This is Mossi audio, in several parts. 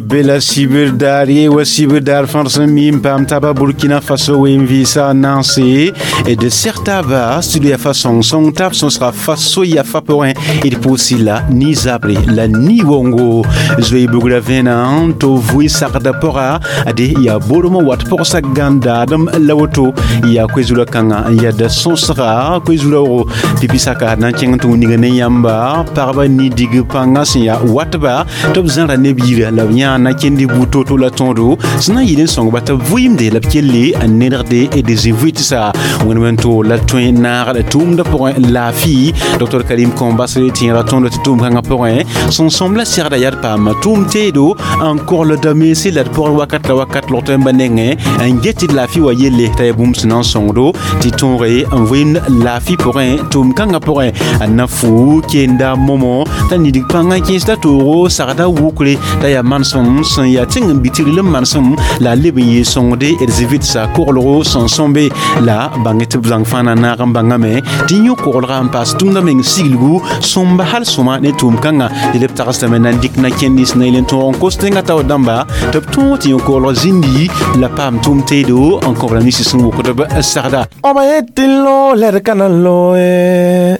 Bela sibir daar ye wa sibir daar fãa sẽn mi n paam taaba Burkina Faso wen vɩɩsa nanse e de sertaba studio ya fa sõng sõng tab sõsga faso ya fa pʋgẽ d pʋʋsi la ni zabre la ni wongo zoe bugra vẽna tɩ vʋɩ sagda pʋga ade yaa bormã wat pʋgsa gãndaadem la woto yaa koe-zura kãngã n yɛda sõsga koe-zuraoogo pipi saka na n kẽng tɩ wĩnga ne yãmba pagba nidig pãngã sẽn yaa watba tɩ b zãra neb yira la b yãa na kẽnd buud to-to la tõodo sẽn na n yɩl n sõngba tɩ b vʋɩɩmde la b kelle n nedgde d zĩ-vʋɩtsa wẽnd to la tõe naagd tʋʋmdã pʋgẽ laafɩ Dr Karim Kɔmbasre tẽera tõndo tɩ tʋʋm kãngã pʋgẽ sẽn sõm la segda yaa d paama tʋʋm teedo n koglda mense la d pʋgr wakat la wakat log tõemba nengẽ n get tɩ d laafɩ wa yelle t'a yaa bũmb sẽn na n sõngdo tɩ tõoge n vɩɩmd laafɩ pʋgẽ tʋʋm kãngã pʋgẽ n na fuu kenda momo t'a nidig pãngã kẽesda toogo sagda wukre t'a yaa manesem sẽn yaa tẽng n bɩ tɩ rɩl n manesem la a leb n yee sõngde d zĩ-vɩtsa koglgo sẽn sõmbe la bãng tɩ b zãng fãa na naag n bãngame tɩ yõ koglga n paas tʋmdã meng sigligu sõmba hal sõma ne tʋʋm kãngã dɩ b tagsdame na n dɩk na kẽnd sẽn na yel n tõog n kos tẽngã taoor dãmba tɩ b tõog tɩ yõ koglg zĩndi la paam tʋʋm teedo n kõ b rãmb nins sẽn wokd b sagda. Oba yetilo lerkana loe.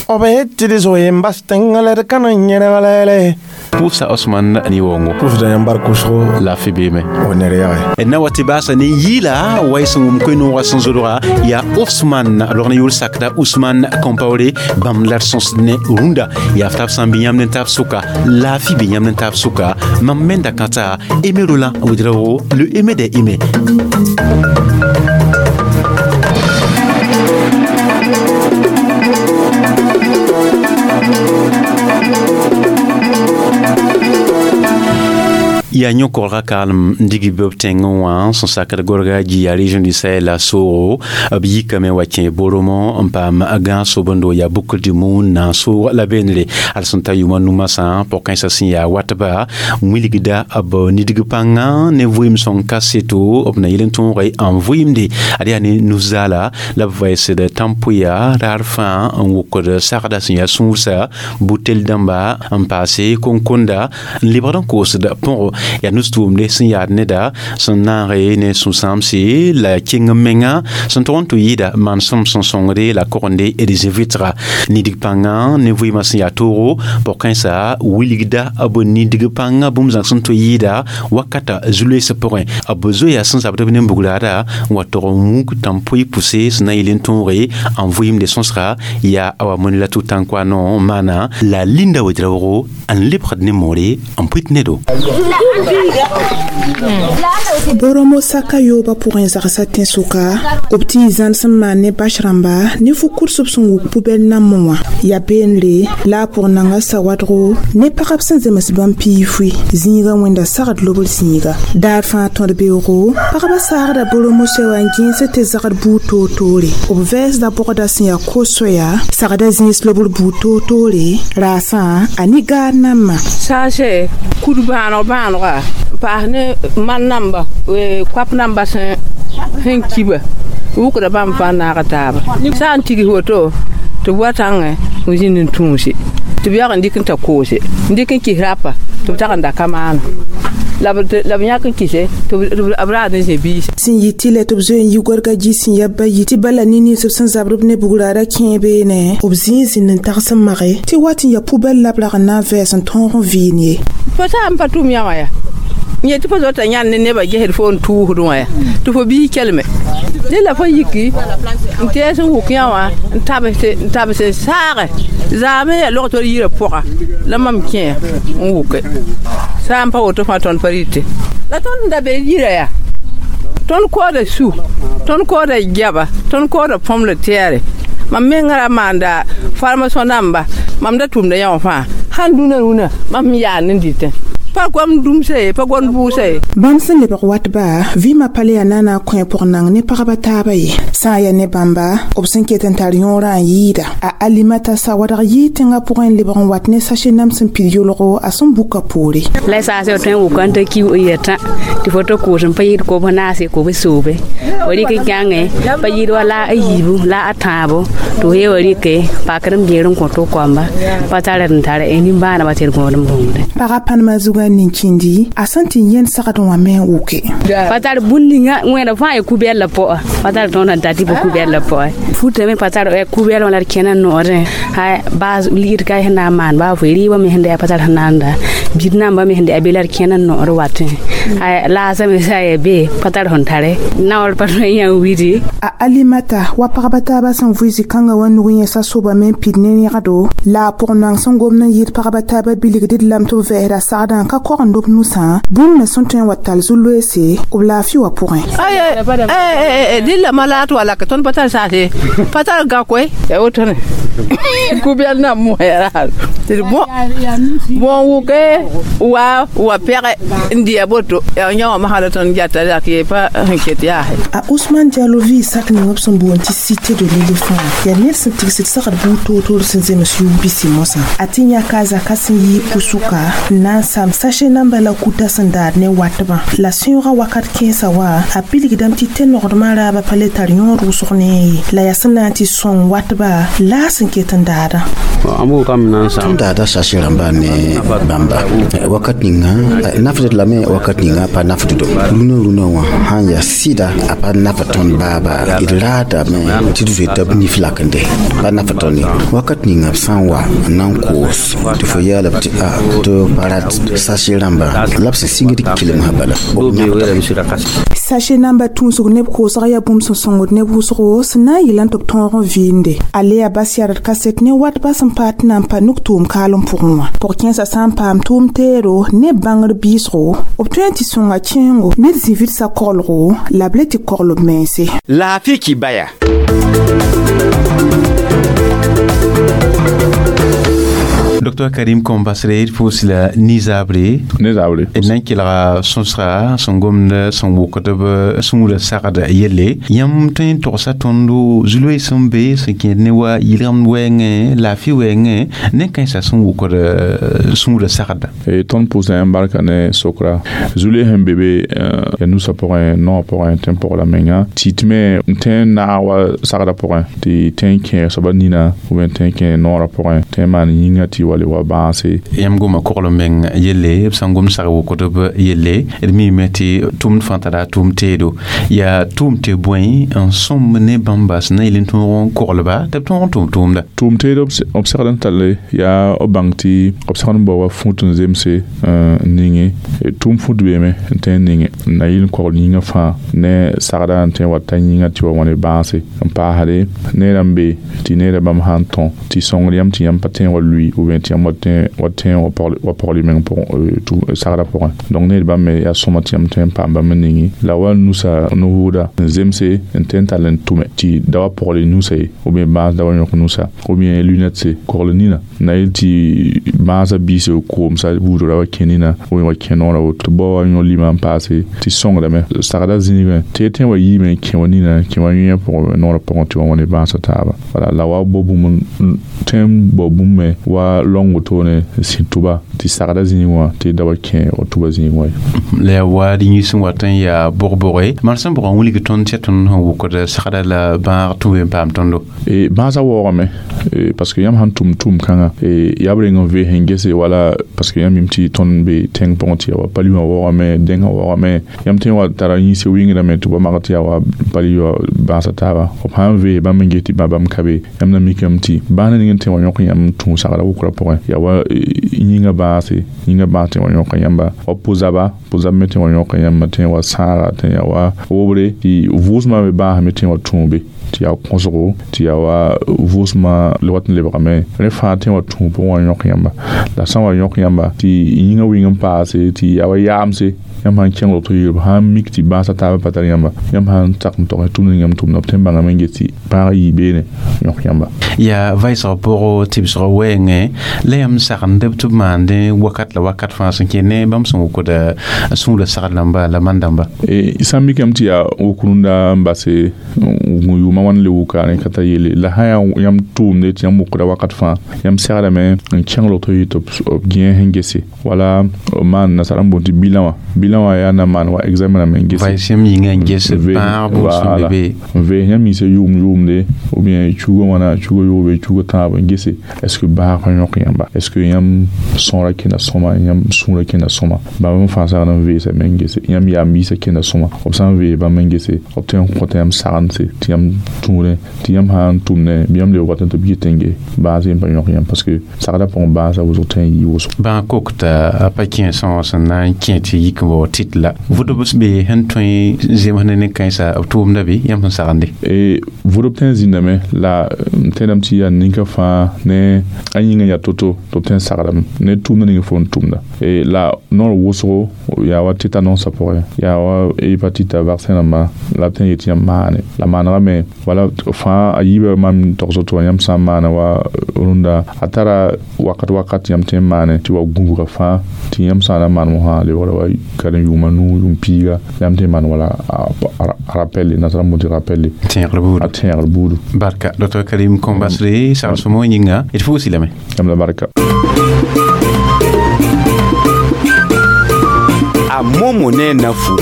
Oba yetili zo yembas tenga lerkana nyere. Pʋʋsa Osman ne wongo. Pʋʋsda yãmb bar kʋsgo. Laafɩ beeme. O ned yage. Na wa tɩ baasa ne yɩɩla wa y sẽn wʋm koe-noogã sẽn zodga yaa Osman log ne yʋʋr sakda Ousmane Compaoré bãmb la d sõsd ne rũndã yaa f tab sã n bɩ yãmb ne taab sʋka laafɩ bɩ yãmb ne taab sʋka mam menda kãta Aimé Roland Ouedraogo, le Aimé des Aimés. Yaa yõ-kolga kaalem n dig b tẽngẽ wã sẽn sakd gorga gi yaa région du Sahel la soogo b yikame wa kẽ boromõ n paam gãag sobendo yaa boucle du monde na n soog la beenre al sẽn ta yʋʋma nu masã pʋg-kãensã sẽn yaa watba wilgda b nidg pãngã ne vɩɩm sõng kaseto b na yel n tõoge n vɩɩmde ad yaa ne nu-zaala la b vɛɛsd tãm-pʋya raar fãa n wokd sagda sẽn yaa sũursa butel dãmba n paase konkonda n lebgd n koosd põgo yaa nus-tʋʋmde sẽn yaad neda sẽn naage ne sũ-sãamse la keng menga sẽn tog n tɩ yɩɩda manesem sẽn sõngde la kogende d zĩ-vɩtga nidig pãngã ne vɩɩmã sẽn yaa toogo pʋg-kãensã wilgda b nidig pãngã bũmb zãng sẽn tɩ yɩɩda wakata zu-loeesã pʋgẽ b zoeya sẽn zabd b nen-bugraada n wa tog n wuk tãm-pʋɩ pʋse sẽn na n yɩl n tõoge n vɩɩmde sõsga yaa awa mõne la tʋ-tãnkwa no maana la Linda Ouedraogo n lebgd ne moore n pʋɩt nedo. Boromo saka yooba pʋgẽ zagsa tẽn-sʋka b tɩ y zãn sẽn maan ne bas rãmba ne fu-kudsb sẽn wuk pubɛl nambẽ wã yaa peenre la a pʋg nanga sawadgo ne pagb sẽn zems bãmb piifui zĩiga wẽnda sagd lobr zĩiga daar fãa tõd beoogo pagba saagda boromo soɛ wã n gẽes tɩ zagd buud toor-toore b vɛɛsda bɔgda sẽn yaa ko-soɛya sagda zĩis lobr buud toor-toore raasã a ne gaar nambã. Saase kud bãaneg bãanega n paas ne man namba koap namba sẽn kiba wʋkda bãmb fãa naaga taaba sã n tigis woto tɩ b wa tãngẽ n zĩnd n tũuse tɩ b yag n dɩk n ta koose n dɩk n kis rapa tɩ b tag n da ka maana la b yãk n kise tɩ b raad n zĩ biis. Sẽn yɩ tɩ lɛ tɩ b zoe n yi gorga gi sẽn yab bayi tɩ bala ne nins b sẽn zabd b ne bugraada kẽe beene b zĩig zĩnd n tags n mage tɩ wat n yaa pubɛl la b rag n na n vɛɛs n tõog n vɩɩn ye. Fo sã n pa tʋm yã wã yaa yẽ tɩ fo zota yãnd ne nebã gesd fo n tʋʋsd wã yaa tɩ fo biis kelme dẽ la fo yiki n tɛɛs n wʋk yã wã n tabs n saage zaame yaa log tɩ yirã pʋga la mam kẽ n wʋke sã n pa woto fãa tõnd pa rɩte la tõnd n da be yira yaa tõnd koooda su tõnd koooda gɛba tõnd koooda põmla tɛɛre mam mengã ra maanda farmasõ namba mam da tʋmda yã wã fãa sãn dũnã rũnã mam yaa ne dɩtẽ pa gom dũmsa ye pa gom bʋʋsa ye. Bãmb sẽn lebg watba vɩɩmã pa le yaa naana kõ pʋg nang ne pagba taaba ye sã n yaa ne bãmba b sẽn ket n tar yõorã n yɩɩda a Alimata sawadg yɩɩ tẽngã pʋgẽ n lebg n wat ne sase nam sẽn pid yolgo a sẽn buka poore. La saase tõe n wʋka n ta ki n yetã tɩ fo tɩ koos n pa yɩɩd kob naase kob soobe fo rɩk n kãngẽ pa yɩɩd wa la a yiibu la a tãabo tɩ fo ye wa rɩke pakr n beer n kõ tɩ koamba pa tar d n tar nimbãaneba tɩ d gõod n bũmde. Pagã pãnema zugã kãngã nin-kĩndi a sẽn tɩ yẽnd sagd wã me n wʋke. Pa tar bũn ninga wẽna fãa ya kubɛl la pɔ'a pa tar tõnd sẽn tar tɩ pa kubɛl la pɔ'a futame pa tar kubɛl wã la d kẽna noorẽ baas ligd ka sẽn na n maan baa fo rɩɩbã me sẽn da pa tar sẽn na n da bid nambã me sẽn da be la d kẽna noor watẽ laasame sã ya be pa tar sẽn tare naoor pa tõe n yã n widi. A Alimata wa pagba taaba sẽn vʋɩ zĩ-kãngã wã nug yẽsa soaba me n pid ne rẽgdo la a pʋg-nang sẽn gomd n yɩɩd pagba taaba bilgd d lame tɩ b vɛɛsda sagdã n ka kogend b nusã bũmb me sẽn tõe n wa tall zu-loeese b laafɩ wã pʋgẽ. Dɩlla ma la tɩ wala ka tõnd pa tar saase pa tar gã koe ya wotone kubɛl na moɛra tɩ bõn wʋke wa pɛge n dɩ boto ya yã wã masã la tõnd gata dak ye pa sẽn ket yaase. A Ousmane Diallo vɩɩ sak ning b sẽn boond tɩ Cité de l'éléphant yaa ned sẽn tigsd sagd buud toor-toor sẽn zems yʋʋm pisi mosã a tɩ yãka a zaka sẽn yi pʋsʋka n na n sam sachet namba la kuta sẽn daad ne watbã la sẽoogã wakat kẽesã wa a bilgdame tɩ tẽnogdmã raabã pa le tar yõod wʋsg ne ye la yaa sẽn na n tɩ sõng watba la a sẽn ket n daadã. Tõnd daada sachet rãmba ne bãmba wakat ninga nafd lame wakat ninga pa nafd do rũnã rũnã wã sãn yaa sɩda a pa naf tõnd baaba d raadame tɩ d zoeta b nif lakende pa naf tõnd ye wakat ninga b sã n wa n na n koos tɩ fo yaala b tɩ a tɩ pa rat sachet rãmba la b sẽn sɩngd kelmsã bala. Sachet namba tũusg neb koosg yaa bũmb sẽn sõngd neb wʋsgo sẽn na n yɩl n tɩ b tõog n vɩɩmde a le yaa bas yard kaset ne watba sẽn paad tɩ na n pa nuk tʋʋm kaalem pʋgẽ wã pʋg-kẽensã sã n paam tʋʋm teero ne bãngr biisgo b tõe n tɩ sõnga kẽengo ned zĩ-vɩdsa koglgo la b le tɩ kogl b mense. Laafɩ kibaya. Dr Karim Kombasre d pʋʋs la nizabre ne-zabre d na n kelga sõsga sẽn gomd sẽn wʋkd b sũurã sagd yelle yãmb tõe n togsa tõndo zu-loees sẽn be sẽn kẽed ne wa yɩlgemd wɛɛngẽ laafɩ wɛɛngẽ ne kãensã sẽn wʋkd sũurã sagda. Tõnd pʋʋsda yãmb barka ne sokra zu-loees sẽn be be yaa nusã pʋgẽ noogã pʋgẽ tẽn-pʋgla menga tɩ tɩ me n tõe n naag wa sagdã pʋgẽ tɩ tõe n kẽ soaba nina ou bien tõe n kẽ noorã pʋgẽ tõe n maan yĩnga tɩ wa le wa bãase. Yãmb goma kogl meng yelle b sãn gom sag wʋkdb yelle d miime tɩ tʋʋmd fãa tara tʋʋm teedo yaa tʋʋm tɩ bõe n sõmb ne bãmba sẽn na yel n tõog n koglba tɩ b tõog n tʋʋm tʋʋmda. Tʋʋm teedo b segd n talle yaa b bãng tɩ b segd n bao wa fũut n zemse n ninge tʋʋm fũut beeme n tõe n ninge n na yɩl n kogl yĩngã fãa ne sagda n tõe n wa ta yĩngã tɩ wa wãne bãase n paasde neerã n be tɩ neerã bãmb sã n tõ tɩ sõngd yãmb tɩ yãmb pa tõe n wa lʋɩ ou bien tɩ yãmb wa tõe wa pɔgl meng sagda pʋgẽ donc need bãmb me yaa sõma tɩ yãmb tõe n paam bãmb n ningi la wa nusa no-vʋʋda n zemse n tõe n tall n tʋme tɩ da wa pɔgl nusa ye ou bien bãas da wa yõk nusa ou bien lunette kogl nina na yel tɩ bãasã biise koomsa buudra wa kẽ nina ou bien wa kẽ noorã woto bao wa yõ lima n paase tɩ sõngdame sagda zĩigẽ tɩ tõe n wa yiime kẽ wa nina kẽ wa yẽ pʋgẽ noorã pʋgẽ tɩ wa wãne bãasã taaba wala la wa bao bũmb tõe n bao bũmb me wa lõng wotone n sĩ tʋba tɩ sagda zĩig wã tɩ da wa kẽ wa tʋba zĩig wã ye. La yaa wa d yĩs n wat n yaa bʋg-bʋge maan sẽn bʋgã wilg tõnd tɩ tõnd sẽn wʋkd sagda la bãag tũ n paam tõndo. Bãasã waoogame parce que yãmb sãn tʋm tʋʋm-kãngã yaa b reng n vee sẽn gese wala parce que yãmb mim tɩ tõnd be tẽng pʋgẽ tɩ yaa wa pali wã waoogame dẽngã waoogame yãmb tõe n wa tara yĩns wɩngdame tɩ ba mag tɩ yaa wa pali wã bãasã taaba b sãn vee bãmb n ges tɩ bãmb ka be yãmb na mikame tɩ bãas ning n tõe wa yõk yãmb tũ sagda wʋkrã pʋgẽ yaa wa yĩngã bãase yĩngã bãas tõe wa yõka yãmba wa pʋ-zaba pʋ-zab me tõe wa yõka yãmba tõe wa sãaga tõe yaa wa wobre tɩ vʋʋsmã me bãas me tõe wa tũube tɩ yaa kõsgo tɩ yaa wa vʋʋsmã wat n lebgame rẽ fãa tõe wa tũu pʋgẽ wa yõk yãmba la sã n wa yõk yãmba tɩ yĩngã wɩng n paase tɩ yaa wa yaamse yãmb sãn kẽng woto yɩɩl b sãn mik tɩ bãasã taabã pa tar yãmba yãmb sãn tak n tog tʋmd ning yãmb tʋmda b tõe n bãngame n ges tɩ bãag yɩ beene yõk yãmba. Yaa vɩɩsg pʋgɔ tɩbsg wɛɛngẽ la yãmb sagend b tɩ b maandẽ wakat la wakat fãa sẽn kẽ ne bãmb sẽn wʋkd sũurã sagd rãmba la man-dãmba. Sã n mikame tɩ yaa wʋk rũndã n base yʋʋmã wãn le wʋka rẽ ka tar yelle la sã yaa yãmb tʋʋmde tɩ yãmb wʋkda wakat fãa yãmb segdame n kẽng woto yɩ tɩ b gẽ sẽn gese wala b maan nasara n boond tɩ bilan wã bilan yellã wã yaa na maan wa examen rãmb n gese sẽm yĩngã n ges bãag bũmb be n vees yãmb yĩnsã yʋʋm yʋʋmde ou bien chugo wãna chugo yoobe chugo tãab n gese est ce que bãag pa yõk yãmba est ce que yãmb sõora kẽnda sõma yãmb sũurã kẽnda sõma bãmb n fãa sagd n veesame n gese yãmb yaam biisã kẽnda sõma b sã n vees bãmb n gese b tõe n kõta yãmb sagendse tɩ yãmb tũudẽ tɩ yãmb sã n tʋmdẽ bɩ yãmb lebg wat tɩ b yet n ges bãas yem pa yõk yãmb parce que sagdã pʋgẽ bãasã wʋsg tõe n yɩ wʋsgo bãag kokta a pa kẽ sõor sẽn na n kẽ tɩ yik n bao tit la vʋdb be sẽn tõe zems ne nin-kãensã b tʋʋmda be yãmb sẽn sagende vʋdb tõe n zĩndame la n tẽedame tɩ yaa ninka fãa ne a yĩngã yaa to-to tɩ b tõe n sagrame ne tʋʋmda ning fo n tʋmda la noor wʋsgo yaa wa tétanosã pʋgẽ yaa wa hépatite vaccin rãmba la b tõe n yet yãmb maane la maanegame wala fãa a yiibã mam togs tɩ wa yãmb sã n maana wa rũndã a tara wakat wakat yãmb tõe n maane tɩ wa gũbga fãa tɩ yãmb sã n na maan mosã lebgra wa karen yʋʋma nuu yʋʋm piiga yãmb tõe n maan wala a rappel nasara n tɩ rappel a tẽegr buudu barka docteur Karim Kombasre sagl sõmo yĩnga d fuusi lame yãmb la barka a momo ne nafu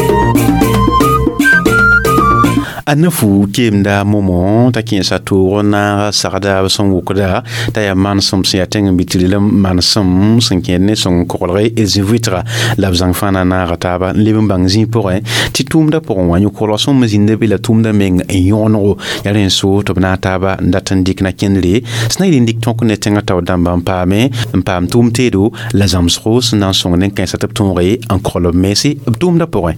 a nafu keemda momo t'a kẽesa toog n naag sagda b sẽn wʋkda t'a yaa manesem sẽn yaa tẽng n bɩ tɩ rɩlem manesem sẽn kẽed ne sõng koglg zĩ-vɩtga la b zãng fãa na naaga taaba n leb n bãng zĩig pʋgẽ tɩ tʋʋmdã pʋgẽ wã yõ-koglg sõm zĩnda be la tʋʋmdã meng n yõonego yaa rẽ n so tɩ b naag taaba n dat n dɩk na kẽndre sẽn na yɩl n dɩk tõk ne tẽngã tao dãmba n paame n paam tʋʋm teedo la zãmsgo sẽn na n sõng nin-kãensã tɩ b tõoge n kogl b mense b tʋʋmdã pʋgẽ.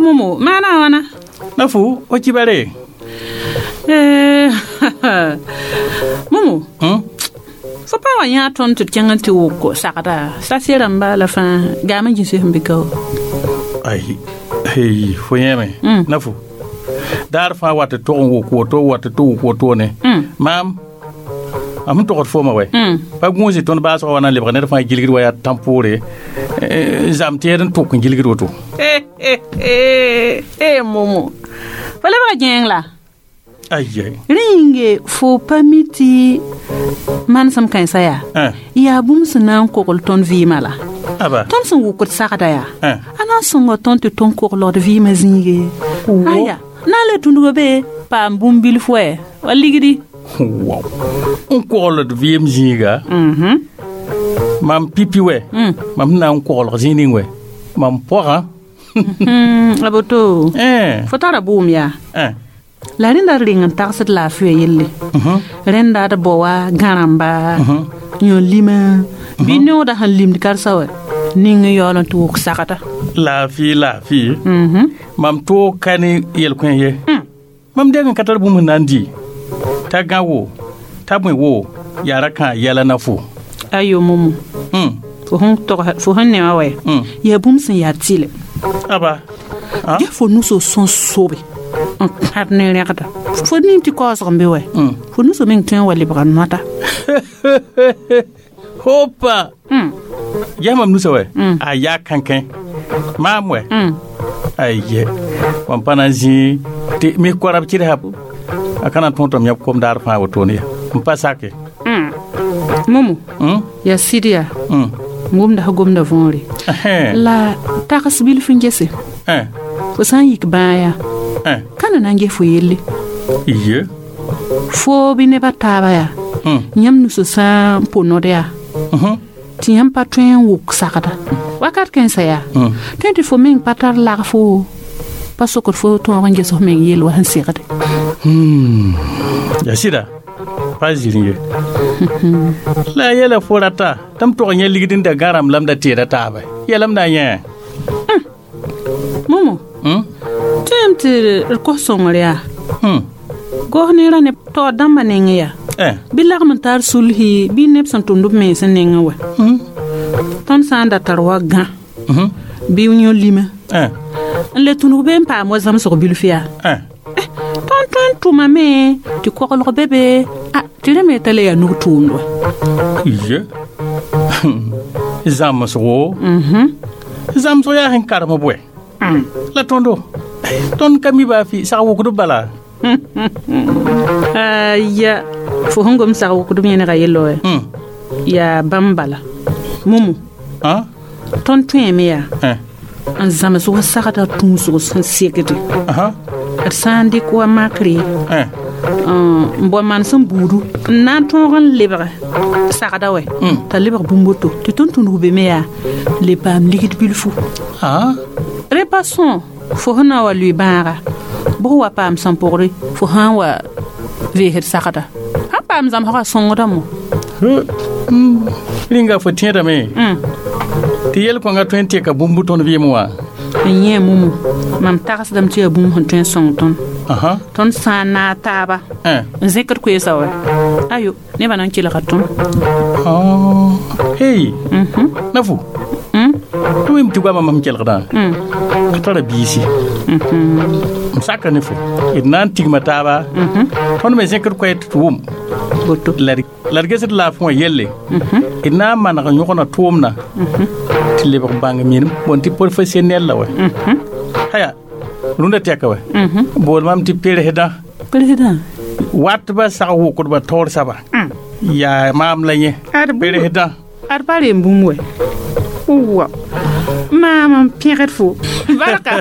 Momo mana wana nafu o kibare momo fo pa wa yã tõnd tɩ d kẽng n tɩ wʋk sagda sase rãmba la fãa gaam n gĩse sẽn bɩ kao ai hey fo yẽme nafu daar fãa wat tɩ tog n wʋk woto wat tɩ wʋk woto ne maam a sẽn togd fooma wɛ pa gũusi tõnd baasgã wa na n lebg ned fãa gilgd wa yaa tãn-poore zam tẽed n tʋk n gilgd woto momo fo lebga gẽeng la ayɛ rẽ yĩnge fo pa mi tɩ manesem kãensã yaa yaa bũmb sẽn na n kogl tõnd vɩɩmã la tõnd sẽn wʋkd sagda yaa a na n sõnga tõnd tɩ tõnd koglgd vɩɩmã zĩige aya na n le tũndgo be paam bũmb bilf wɛ wa ligdi wow n kogld vɩɩm zĩiga mam pipi wɛ mam sẽn na n koglg zĩig ning wɛ mam pɔgã a boto fo tara bʋʋm yaa la rẽnda d reng n tagsd laafɩya yelle rẽnda d bao wa gã-rãmba yõ lima bɩ neooda sẽn limd karsa wɛ ning n yaool n tɩ wʋk sagda laafɩ laafɩ mam toog ka ne yel-kõ ye mam deng n ka tar bũmb sẽn na n dɩ t'a gã wo t'a bõe wo yaa ra kãa yɛla na fo ayo momo fo sẽn ne wã wɛ yaa bũmb sẽn yaa tɩlɛ aba ya fo nuso sẽn sobe n kãd ne rẽgda fo ning tɩ kaoosg n be wɛ fo nuso meng tõe n wa lebga noata hopa yaa mam nusa wɛ a yaa kãnkẽ maam wɛ ayɛ mam pa na n zĩi tɩ mi koarab kɩdsa a ka na n tõog tɩ m yãb kom daar fãa wotone ya n pa sake momo yaa sɩd yaa gomda sã gomda võore la tags bilf n gese fo sã n yik bãag yaa ka na na n ges fo yelle ye fo bɩ nebã taaba yaa yãmb nuso sã n po nod yaa tɩ yãmb pa tõe n wʋk sagda wakat kãensã yaa tõe tɩ fo meng pa tar lagfo pa sokd fo tõog n ges f meng yell wa sẽn segde yaa sɩda pa zĩr ye la a yɛla fo rata tɩ m tog yẽ ligd n da gã rãmb la m da teeda taaba yɛlame na yẽ momo tõem tɩ d kos sõngr yaa gos neerã ne taoor dãmbã nengẽ yaa bɩ lagm n tar sulsi bɩ neb sẽn tʋmd b mens nengẽ wɛ tõnd sã n da tar wa gã bɩ yõ lima n le tũnug be n paam wa zãmsg bilf yaa tõnd tõe n tʋmame tɩ koglg be be tɩ rẽ me t'a le yaa nug tʋʋmd wɛ ye zãmsgo zãmsg yaa sẽn karem bʋɛ la tõndo tõnd ka mi baa fɩ sag wʋkd bala Aya fo sẽn gom sag wʋkdb yẽnega yello wɛ yaa bãmb bala mumu tõnd tõeme yaa n zãms wa sagda tũusg sẽn segde d sã n dɩk wa makre n bao manesem buudu n na n tõog n lebg sagda wɛ t'a lebg bũmb woto tɩ tõnd tũnug be me yaa le paam ligd bilfu rẽ pa sõo fo sẽn na n wa lʋɩ bãaga bʋg wa paam sẽn pʋgre fo sã n wa veesd sagda sãn paam zãmsgã sõngda mo rĩnga fo tẽedame tɩ yel-kõngã tõe n teka bũmb tõnd vɩɩm wã n yẽ mumu mam tagsdame tɩ yaa bũmb sẽn tõe n sõng tõnd tõnd sã n naag taaba n zẽkd koeesa wɛ ayo nebã na n kelga tõnd hey nafu tɩ wẽm tɩ goamã mam kelgdã a tara biisi m saka ne fo d na n tigma taaba tõnd me zẽkd koɛɛ tɩ tɩ wʋm la d gesd laafẽ wã yelle d na n maneg yõgna tʋʋmdã tɩ lebg bãng minim bõn tɩ professionnel la wɛ haya rũndã tɛka wɛ bool mam tɩ peresdã watba sag wʋkdbã taoor saba yaa maam la yẽ peresdã ad pa rem bũmb wɛ wa maam n pẽgd fo barka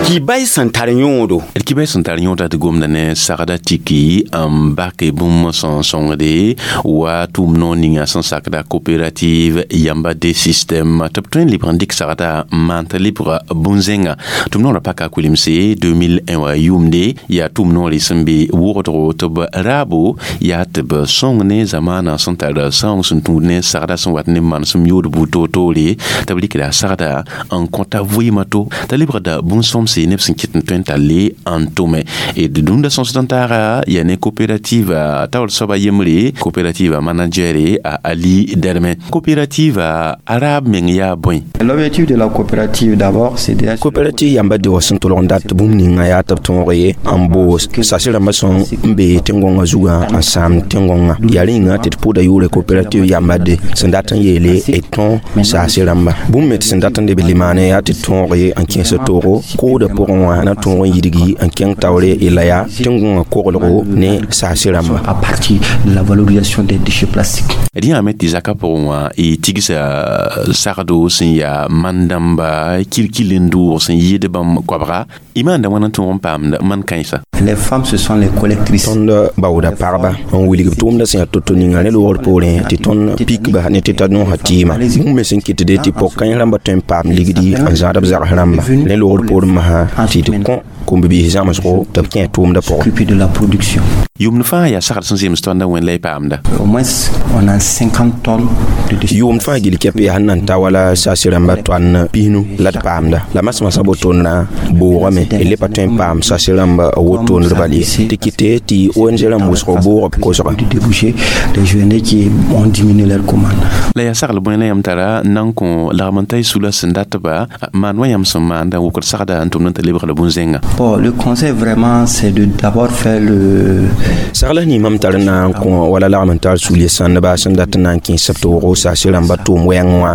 Kibay sẽn tar yõodo d kibay sẽn tar yõoda tɩ gomda ne sagda tiki n bake bũmb sẽn sõngde wa tʋʋm noor ninga sẽn sakda coopérative yamba de système tɩ b tõe n lebg n dɩk sagda n maan t'a lebga bũn-zẽnga tʋm noorã paka kulemse 2001 wã yʋʋmde yaa tʋʋm noore sẽn be wʋgdgo tɩ b raabo yaa tɩ b sõng ne zamaanã sẽn tar sãoong sẽn tũud ne sagda sẽn wat ne manesem yood buud toor-toore tɩ b rɩkda sagda n kõta vɩɩmã to t'a lebgda bũn-sõmse neb sẽn kɩt n tõe n talle n tʋme d dũnda sõsd n taaga yaa ne coopérative taoor soaba yembre coopérative managere a Ali Derme coopérative araab meng yaa bõe. L'objectif de la coopérative d'abord c'est de coopérative yamba de wa sẽn tʋlg n dat bũmb ninga yaa tɩ b tõog ye n boos sase rãmbã sõn n be tẽn-gõngã zugã n sãam tẽn-gõngã yaa rĩnga tɩ d pʋʋda yʋʋre coopérative yamba de sẽn dat n yeele d tõo saase rãmba bũmb me tɩ sẽn dat n leb limaane yaa tɩ d tõog ye n kẽes toogo koodã pʋgẽ wã na tõog n yidgi n kẽng taoore y la yaa tẽn-gõngã koglgo ne saase rãmba. À partir de la valorisation des déchets plastiques. D yãame tɩ zakã pʋgẽ wã y tigsa sagdo sẽn yaa man-dãmba kirkil n dʋʋg sẽn yɩɩd bãmb koabga y maanda wãna n tõog n paamd man-kãensa. Les femmes ce sont les collectrices. Tõnd baooda pagba n wilg b tʋʋmdã sẽn yaa to-to ninga ne loogr poorẽ tɩ tõnd pikba ne tɩ ta nõosã tɩɩma bũmb me sẽn kɩtde tɩ pog-kãens rãmbã tõe n paam ligdi n zãad b zags rãmba ne loogr poorẽ masã tɩ d kõ kom-bibiis zãmsgo tɩ b kẽ tʋʋmdã pʋgẽ. De la production. Yʋʋmd fãa yaa sagd sẽn zems tõndã wẽn la y paamda. Au moins on a 50 tonnes de déchets. Yʋʋmd fãa gil kɛp yaa sẽn na n ta wala saase rãmba toan pisnu la d paamda la masmasã bo-tondrã boogame d le pa tõe n paam saase rãmba wotondr bal ye tɩ kɩte tɩ ONG rãmb wʋsg boog b kosga. Déboucher des journées qui ont diminué leur commande. La yaa sagl bõe la yãmb tara n na n kõ lagm n ta y sula sẽn datba maan wã yãmb sẽn maanda n wʋkd sagda n tʋmd n tɩ lebg la bũn-zẽnga. Bon, le conseil vraiment c'est de d'abord faire le sagl ning mam tar n na n kõ wala lagm n tar sul sãndba sẽn dat n na n kẽes b toogo saase rãmba tʋʋm wɛɛngẽ wã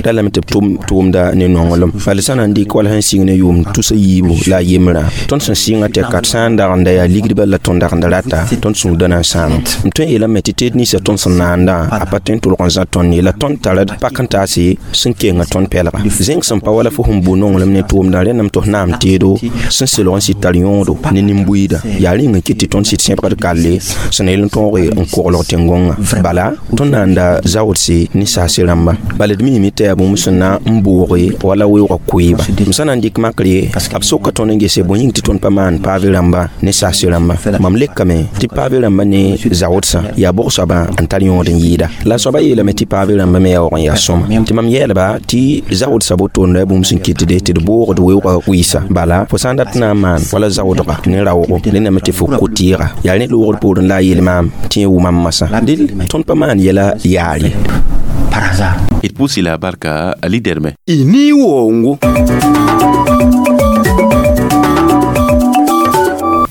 ra lame tɩ b tʋʋmda ne nonglem bala sã na n dɩk wala sẽn sɩng ne yʋʋm tusa yiibu la a yembrã tõnd sẽn sɩngã tɛka sã n dag n da yaa ligdbã la tõnd dag n da rata tõnd sũurda na n sãame m tõe n yeelame tɩ teed ninsã tõnd sẽn naandã a pa tõe n tʋlg n zã tõnd ye la tõnd tara pak n taase sẽn kenga tõnd pɛlga zẽng sẽn pa wala fo sẽn bu nonglem ne tʋʋmdã rẽndame tɩ f naam teedo sẽn selg n sɩd tar yõodo ne nin-buiida yaa rĩng n kɩt tɩ tõnd sɩd sẽbgd kalle sẽn na yel n tõoge n koglg tẽn-gõngã bala tõnd naanda zaoodse ne saase rãmba bala d miime tɩ yaa bũmb sẽn na n booge wala weoogã koeeba m sã na n dɩk makre b soka tõnd n gese bõe yĩng tɩ tõnd pa maan paave rãmba ne saase rãmba mam lekame tɩ paave rãmba ne zaoodsã yaa bʋg soabã n tar yõod n yɩɩda la soabã yeelame tɩ paave rãmba me yaa waog n yaa sõma tɩ mam yɛɛlba tɩ zaoodsã bo-tondã bũmb sẽn kɩtde tɩ d boogd weoogã wɩɩsa bala fo sã n dat na n maan wala zaoodga ne raoogo rẽndame tɩ fo ko-tɩɩga yaa rẽ loogr poorẽ la a yeel maam tɩ yẽ wʋmam masã del tõnd pa maan yɛla yaar ye. Par hasard. D pʋʋs la barka Ali Derme. Y ni waoongo.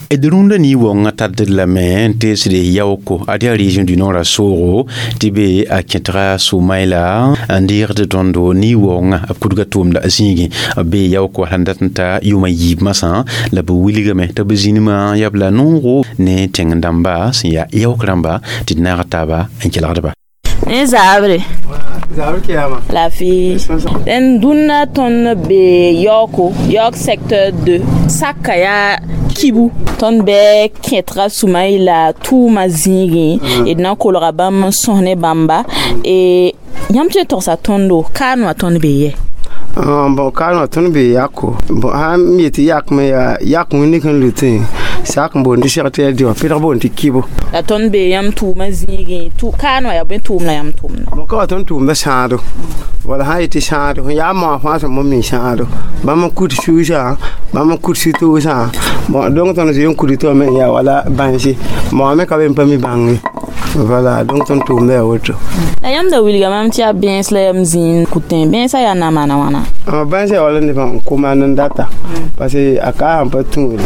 D rũndã ni-wongã tard lame n teesde yaooko ad yaa région du nord a soogo tɩ be a kẽtga Sʋmayla n deegd tõndo ni-waoongã b kudga tʋʋmda zĩigẽ b bee yaooko sẽn dat n ta yʋʋma yiib masã la b wilgame tɩ b zĩnimã yaa b la noogo ne tẽng dãmba sẽn yaa yaook rãmba tɩ d naag taaba n kelgdba. Ne zabre la fi n dũnna tõnd be yaooko yaook secteur 2 saka yaa kibu tõnd bɩ kẽtga Sʋmayla tʋʋma zĩigẽ d na n kolga bãmb n sõs ne bãmba yãmb tɩ togsa tõndo kaan wã tõnd be yɛ. Bon, kaan wã tõnd be yako. Bon, sãn yetɩ yakme yaa yak wĩndig sẽn lutẽ sak n boond tɩ seg tɩ yaa dɩ wã pɩdg boond tɩ kibo. La tõnd be yãmb tʋʋmã zĩigẽ kaan wã yaa bõe tʋʋm la yãmb tʋʋmda? Bon, ka wa tõnd tʋʋmda sãado wala sã n yetɩ sãado sẽn yaa moa fãa sẽn mi sãado bãmb n kut suusã bãmb n kut sũ-toosã. Bon, donc tõnd zoe n kut tɩ me yaa wala bãnse moa me ka be n pa mi bãnge. Voilà, donc tõnd tʋʋmda yaa woto. La yãmb da wilga mam tɩ yaa bẽns la yam zĩig kutẽ bẽnsã yaa na maana wãna? Bãnsã yaa wala nebã n kʋ maan n data parce que a ka sãn pa tũude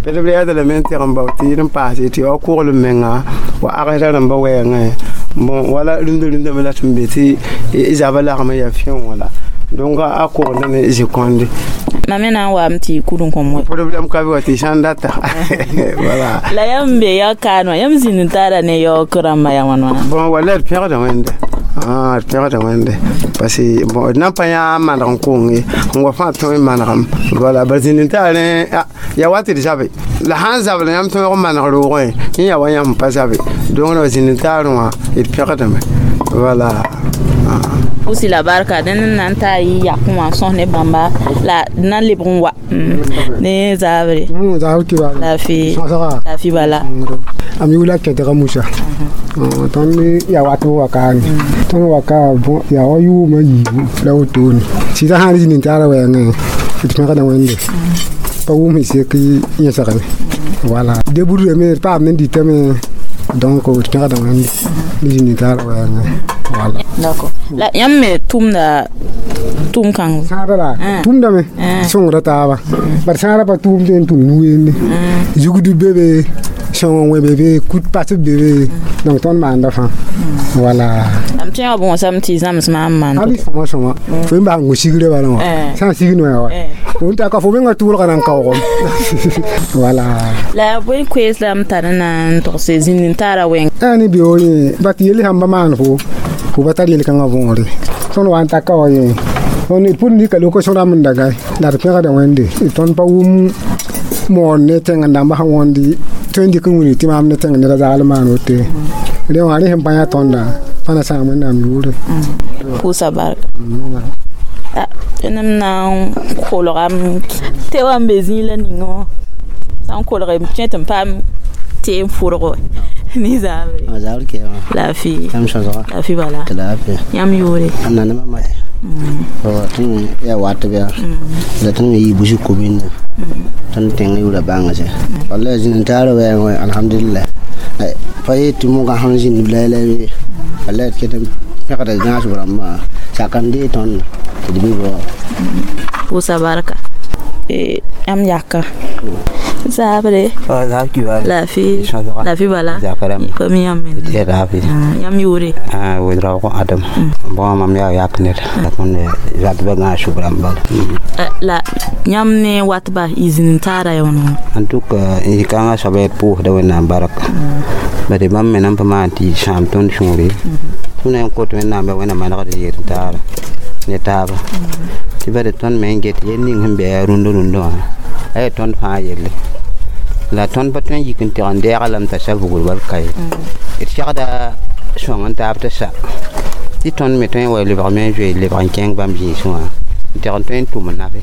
pd b reɛda lame n teg n bao tɩ d n paase tɩ wa koglem menga wa agsda rãmba wɛɛngẽ. Bon, wala rũndã rũndã me la tɩ n be tɩ zaba lagm yaa fiẽ wala donc a kogenda ne zĩ-kõnde. Mam me na n waame tɩ kud n kõm wɛ. Problème ka be wa tɩ sãn data, voilà. La yãmb be yaook kaan wã yãmb zĩnd n taara ne yaook rãmbã yaa wãn wãna? Bon, wala d pẽgda wẽnde, d pẽgda wẽnde parce que bon, d na n pa yã maneg n kong ye n wa fãa tõe n manegem. Voilà, bara zĩnd n taar rẽ yaa wa tɩ d zabe la sãn zabl yãmb tõeg n maneg roogẽ yẽ yaa wa yãmb pa zabe donc ra zĩnd n taarẽ wã d pẽgdame, voilà. Pusi la barka dẽnd n na n taa yɩ yakẽ wã n sõs ne bãmba la d na n lebg n wa ne zabre. La fi la fi bala. Am yula kẽtga Musa tõnd yaa wat b wakaane tõnd waka yaa wa yʋʋmã yiibu la wotone sɩda sãn zĩnd n taara wɛɛngẽ d pẽgda wẽnde pa wʋm sẽn sek yẽsgame. Voilà, deburdame d paam ne dɩtame donc d pẽgda wẽnde d zĩnd n taara wɛɛngẽ, voilà. D'accord. La yãmb me tʋmda tʋʋm kãng? Sãada la tʋmdame sõngra taaba bad sãada pa tʋʋm tɩ n tʋm nu-wende zugd be be sõng wẽ be be kut pasb be be donc tõnd maanda fãa, voilà. M tẽ wã bõosame tɩ zãms maam maan. Ali sõma sõma fo n bas n gũ sigrã bala wã sã n sig noya wa fo n ta ka fo mengã tʋʋlga na n kaoogem, voilà. La bõe koees la m tar n na n togse zĩnd n taara wẽng? Ne beo yẽ bat yell sãn ba maan fo fo pa tar yel-kãngã võore tõnd wa n taka wa yẽ d pʋd nika lok sõrame n daga la d pẽgda wẽnde tõnd pa wʋm moor ne tẽng dãmba sã wõndi tõe n dɩk n wilg tɩ maam ne tẽng neda zagl maan woto rẽ wã rẽ sẽn pa yã tõnda pa na sãam wẽnnaam yʋʋre. Pʋʋsa barka m na n kolgame tɩ wa n be zĩig la ninga wã sã n kolge m kẽ tɩ m paam tɩ n fʋrg ne zabre. La fi la fi bala yãmb yʋʋre? Tõnd yaa wat bɩa la tõnd me yɩ busi commune tõnd tẽng yʋʋra bãnga sɛ walla zĩnd n taara wɛɛngẽ alhamdulillah pa yet tɩ mogã sẽn zĩnd la la walla d ket n pẽgda gãasb rãmbã sak n dee tõnd tɩ d be bao. Pʋʋsa barka yãmb yaka zabre la fi la fi bala pa mi yãmb me yãmb yʋʋre? Wedraogo Adam. Bon, mam yaa yak ned la tõnd zatba gãasb rãmba. La yãmb ne watba y zĩnd n taara ya wãna? En tout cas zĩ-kãngã soaba d pʋʋsda wẽnnaam barka bade bãmb me nan pa maan tɩ sãam tõnd sũure tõnd na n kot wẽnnaam ba wẽnna manegd yel n taara ne taaba tɩ bade tõnd me n get yel ning sẽn be yaa rũndã rũndã wã a yaa tõnd fãa yelle la tõnd pa tõe n yik n teg n deega lame t'a sa vugr bal ka ye d segda sõng n taab t'a sa tɩ tõnd me tõe n wa lebg me n zoe lebg n kẽng bãmb zĩisẽ wã n teg n tõe n tʋm n nafe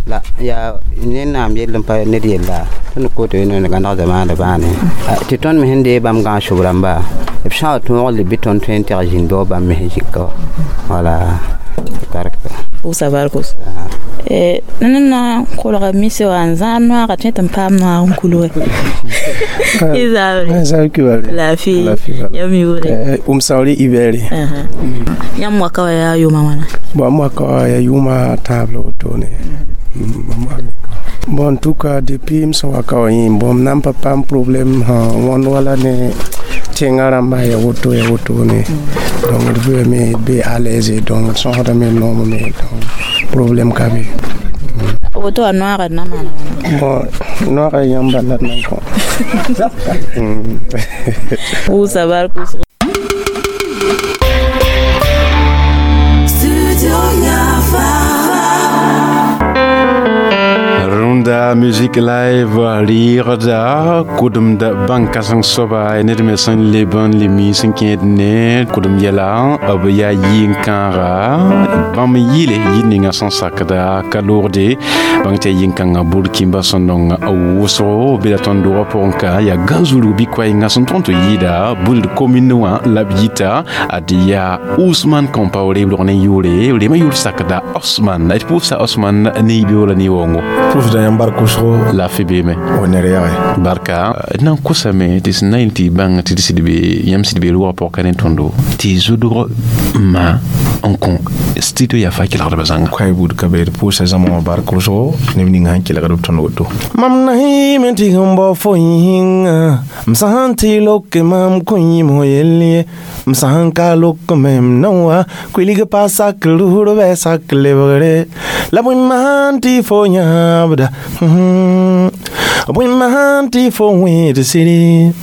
la yaa ned yell n pa ned yella tõnd koto wẽnd gãneg zamaana bãane tɩ tõnd me sẽn dee bãmb gãasb rãmba b sã wa tõog le bɩ tõnd tõe n teg zĩnd bao bãmb me sẽn zĩka wã, voilà, barka. Pʋʋsa barkos ned na n kolga mise wã n zãad noaga tõe tɩ n paam noag n kul wɛ y zabre la fi yãmb yʋʋre? Umsauri Iberi. Yãmb waka wa yaa yʋʋma wãna? Bon, m waka wa yaa yʋʋma tãab la wotone. Bon, en tout cas, depuis m sẽn wa ka wã yẽ bõmb na n pa paam problème sã wãnd wala ne tẽngã rãmbã ya woto ya wotone. Donc d vɩame d be à l'aise, donc d sõsdame d noomame, donc problème ka be. Woto wã noaagd na maana? Bon, noaga yãmba la d nan kõ. Pʋʋsa bark wʋsgo. Rũnda musique live rɩɩgda kʋdemd bãn-kãseng soaba ned me sẽn leb n le mi sẽn kẽed ne kʋdem yɛla b yaa yɩ-n-kãaga bãmb yɩle yir ninga sẽn sakda ka loogde bãng tɩ yaa yɩ-n-kãngã burkimba sẽn nong wʋsgo bela tõnd dogã pʋgẽ ka yaa gãn-zulg bɩ koɛɛngã sẽn tõnd tɩ yɩɩda buld commune wã la b yita ad yaa Ousmane Compaoré b rog ne yʋʋre rema yʋʋr sakda Osman d pʋʋsa Osman ne y beoola ne waoongo. Pʋʋsda yãmb bark wʋsgo. Laafɩ beeme. O ned yage. Barka d na n kosame tɩ sẽn na n tɩ bãng tɩ d sɩd be yãmb sɩd be rʋgã pʋgã ka ne tõndo tɩ zʋdg ma n kõ studio yaa fa kelgdbã zãnga. Koɛɛ buud ka be d pʋʋsa zãma wã bark wʋsgo neb ning sẽn kelgd b tõnd woto. Mam na yɩɩme tɩ sẽn bao fo yĩnga m sãn tɩ loke mam kõ yĩm yell ye m sãn ka lok me m na wa kuilg pa sak rʋʋr bɩ sak lebgre la bõe maan tɩ fo yãabda, bõe maan tɩ fo wẽed sɩd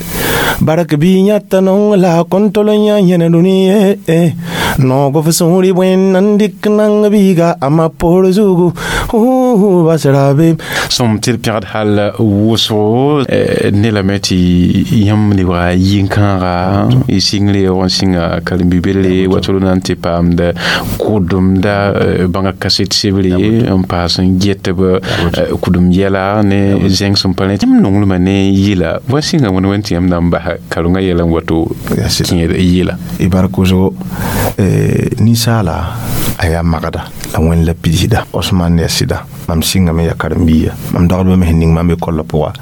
bark bɩ yãta nong la kõn tol n yã yẽne dũni ye noog f sũuri bõe n dɩk nang biiga a ma poor zugu basra be. Sõm tɩ d pẽgd hal wʋsgo ne lame tɩ yãmb lebga yĩn-kãaga y sɩngre n sɩnga karen-bi-belle wa tol na n tɩ paamd kʋdemda bãnga kaset sebre n paas n get b kʋdem yɛla ne zẽng sẽn pa rẽ yãmb nonglmã ne yɩla wa sɩnga wẽnd wẽn tɩ yãmb na n basa karengã yɛla n wato kẽed yɩla. Y bark wʋsgo ninsaala a yaa magda la wẽnd la pidsda Osman ya sɩda mam sɩngame ya karen-biiga mam dɔgdbã me sẽn ning mam be kollã pʋga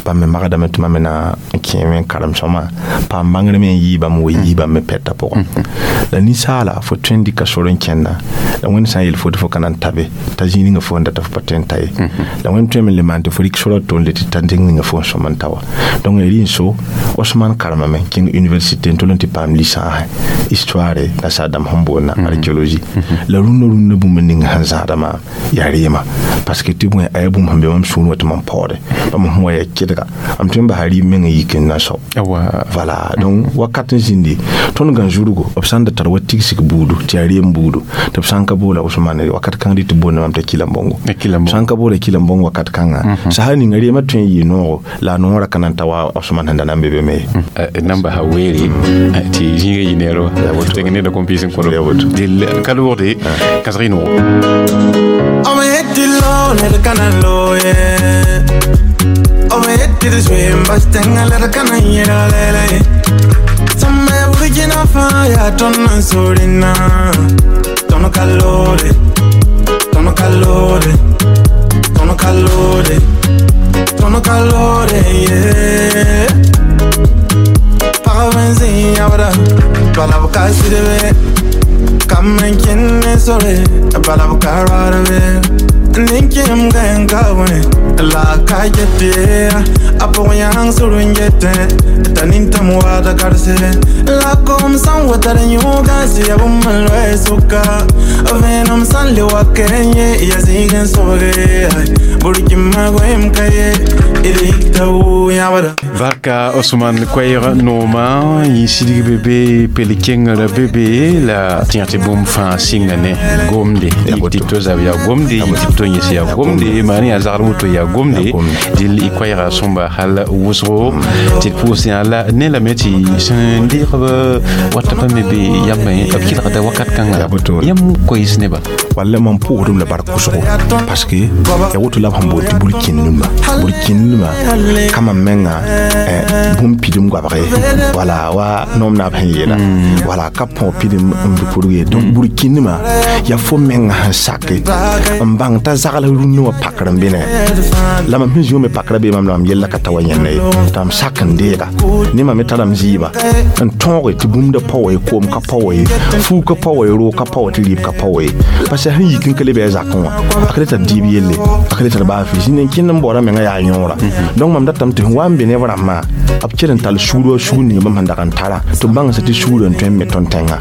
bãmb me magdame tɩ mam me na n kẽeme n karem sõma paam bãngr me n yɩɩ bãmb wa yii bãmb me pɛtã pʋgã la ninsaala fo tõe n dɩka sor n kẽnda la wẽnd sã n yel fo tɩ fo ka na n tabe t'a zĩig ninga fo n data fo pa tõe n ta ye la wẽnd tõeme n le maan tɩ fo rɩk sora to n le tɩ ta zĩig ninga fo n sõm n ta wa. Donc rɩ n so Osman karemame kẽng université n tol n tɩ paam licence histoire la saadam sẽn boonna archéologie la rũndã rũndã bũmb ning sẽn zãada maam yaa reema parce que tɩ bõe a yaa bũmb sẽn be mam sũur wã tɩ mam paoode bãmb sẽn wa yaa kɩdga m tõe n basa rɩɩb meng n yik n na sao. Voilà, donc wakat n zĩndi tõnd gã zurgo b sãn da tar wa tigsg buudu tɩ yaa reem buudu tɩ b sãn ka boola Ousmane wakat kãng dɩ tɩ boonda mam t'a Kilambongo sãn ka boola Kilambongo wakat kãnga sasa ninga reemã tõe n yɩ noogo la a noorã ka na n ta wa Ousmane sẽn da na n be be me. Nan basa weere tɩ zĩiga yɩ neero tɩ neda kõn piis n kõ dell ka loogde kãsg y noogo. Ninkim gan kawe la ka yete apo yang surun yete taninta muada karse la kom san watar nyuga si abum malwe suka venom san le wakenye ya zigen soge burkima goem kaye idikta u yabara. Barka Osman Koɛɛg nooma yẽ sidg bebe pel kengrã bebe la tẽ tɩ bũmb fãa sɩnga ne gomde tɩ to zab yaa gomde tɩ to yẽs yaa gomde maan yaa zagr woto yaa gomde dɩl y koɛɛga sõmba hal wʋsgo tɩ d pʋʋs yã la ne lame tɩ sẽn deegb wata pa me be yambã b kelgda wakat kãnga yãmb koees neba. Walla mam pʋʋsdm la bark wʋsgo parce que ya woto la b sẽn boond tɩ burkĩndmã burkĩndmã ka mam bãmb menga bũmb pidim goabge, wala wa noom naab sẽn yeela, wala ka põg pidim n bɩ kurg ye. Donc burkĩndmã yaa fo menga sẽn sake n bãng t'a zagl rũnnã wã pakr n bɩne la mam sẽn zĩwã me pakra bee mam la mam yella ka ta wa yẽnda ye, tɩ mam sak n deega ne mam me tara m zɩɩba n tõoge tɩ bũmb da pa wa ye, koom ka pa wa ye, fuug ka pa wa ye, roog ka pa wa, tɩ rɩɩb ka pa wa ye, parce que sẽn yik n ka le bɩ a zakẽ wã a ka le tar diib yelle, a ka le tar baa fɩ zĩnd n kẽnd n baoora menga yaa yõora. Donc mam datame tɩ sẽn wa n be neb rãmbã b kell n tall sugr wa sugr ning bãmb sẽn dag n tara tɩ b bãng tɩ sugr n tõe n me tõnd tẽnga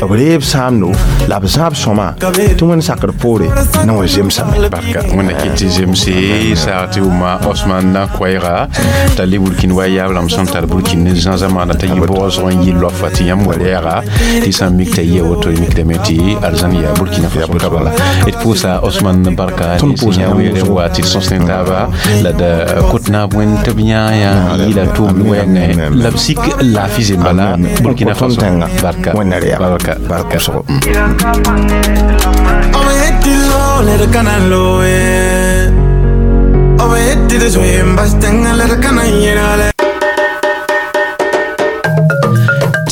b reeb sãamdo la b zãab sõma tɩ Wẽnd sakr poore na wa zemsame. Barka, wẽnna kɩ tɩ zemse saag tɩ wʋma Osman na koɛɛga t'a le burkin wa yaab rãmb sẽn tar burkin ne zãzã maana t'a yɩ bʋgsg n yɩ loafa tɩ yãmb wa rɛɛga tɩ sã n mik t'a yɩ woto y mikdame tɩ arzãn yaa Burkina Faso ka bala. D pʋʋsa Osman barka ne sẽn yã weere wa tɩ d sõs ne taaba la d kot naab wẽnd tɩ b yãa yã yɩla tʋʋmd wɛɛngẽ la b sik laafɩ zemba la Burkina Faso. Barka, barka, barka.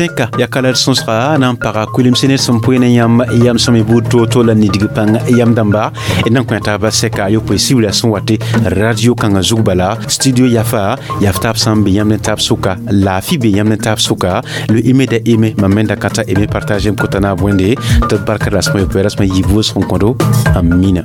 Tẽka ya kala d sõsga na n paga kulemse ne sẽn poe ne yãmb yam sẽm y buud to-to la nidg pãng yam dãmba d na n kõ taaba sɛka yopoe sibra sẽn wa tɩ radio kãngã zug bala studio yafa yaf taab sã n be yãmb ne taab sʋka laafɩ be yãmb ne taab sʋka le ime da ime mam me da ka t'a ime partage n kota naab wẽnde tɩ b barka rasmã yopoe rasmã yiib wʋsg n kõdo amina.